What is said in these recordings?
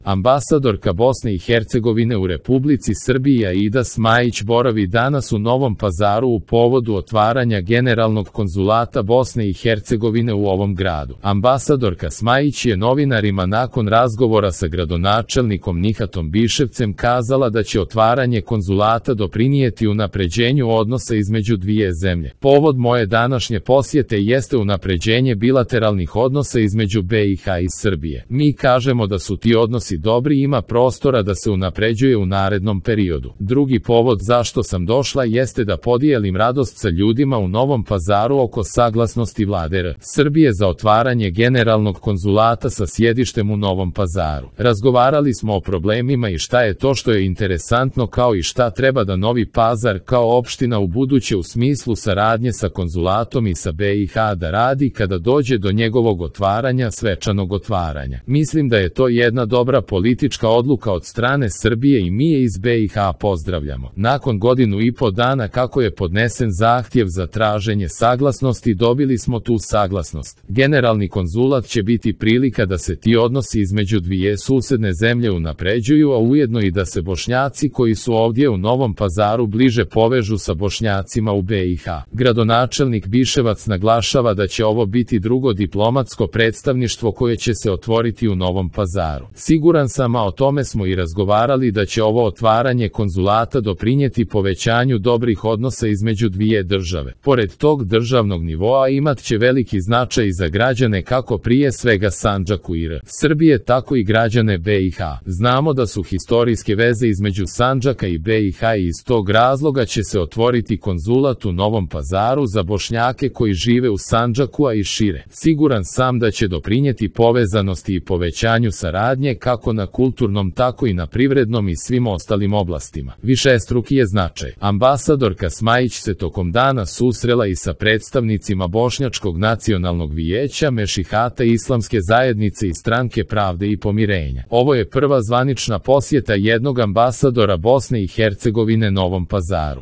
Ambasadorka Bosne i Hercegovine u Republici Srbiji Aida Smajić boravi danas u Novom Pazaru u povodu otvaranja Generalnog konzulata Bosne i Hercegovine u ovom gradu. Ambasadorka Smajić je novinarima nakon razgovora sa gradonačelnikom Nihatom Biševcem kazala da će otvaranje konzulata doprinijeti unapređenju odnosa između dvije zemlje. Povod moje današnje posjete jeste unapređenje bilateralnih odnosa između BiH i Srbije. Mi kažemo da su ti odnosi dobri i ima prostora da se unapređuje u narednom periodu. Drugi povod zašto sam došla jeste da podijelim radost sa ljudima u Novom Pazaru oko saglasnosti Vlade Srbije za otvaranje Generalnog konzulata sa sjedištem u Novom Pazaru. Razgovarali smo o problemima i šta je to što je interesantno, kao i šta treba da Novi Pazar kao opština u buduće u smislu saradnje sa konzulatom i sa BiH da radi kada dođe do njegovog otvaranja, svečanog otvaranja. Mislim da je to jedna dobra politička odluka od strane Srbije i mi je iz BiH pozdravljamo. Nakon 1,5 dana kako je podnesen zahtjev za traženje saglasnosti, dobili smo tu saglasnost. Generalni konzulat će biti prilika da se ti odnosi između dvije susedne zemlje unapređuju, a ujedno i da se Bošnjaci koji su ovdje u Novom Pazaru bliže povežu sa Bošnjacima u BiH. Gradonačelnik Biševac naglašava da će ovo biti drugo diplomatsko predstavništvo koje će se otvoriti u Novom Pazaru. Siguran sam, a o tome smo i razgovarali, da će ovo otvaranje konzulata doprinijeti povećanju dobrih odnosa između dvije države. Pored tog državnog nivoa imat će veliki značaj za građane kako prije svega Sandžaku i Srbije, tako i građane BiH. Znamo da su historijske veze između Sandžaka i BiH i iz tog razloga će se otvoriti konzulat u Novom Pazaru za Bošnjake koji žive u Sandžaku, a i šire. Siguran sam da će doprinijeti povezanosti i povećanju saradnje kako na kulturnom tako i na privrednom i svim ostalim oblastima. Višestruki je značaj. Ambasadorka Smajić se tokom dana susrela i sa predstavnicima Bošnjačkog nacionalnog vijeća, Mešihata Islamske zajednice i Stranke pravde i pomirenja. Ovo je prva zvanična posjeta jednog ambasadora Bosne i Hercegovine Novom Pazaru.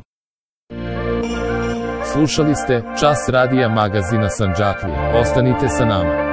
Slušali ste Čas radija magazina Sandžaklija. Ostanite sa nama.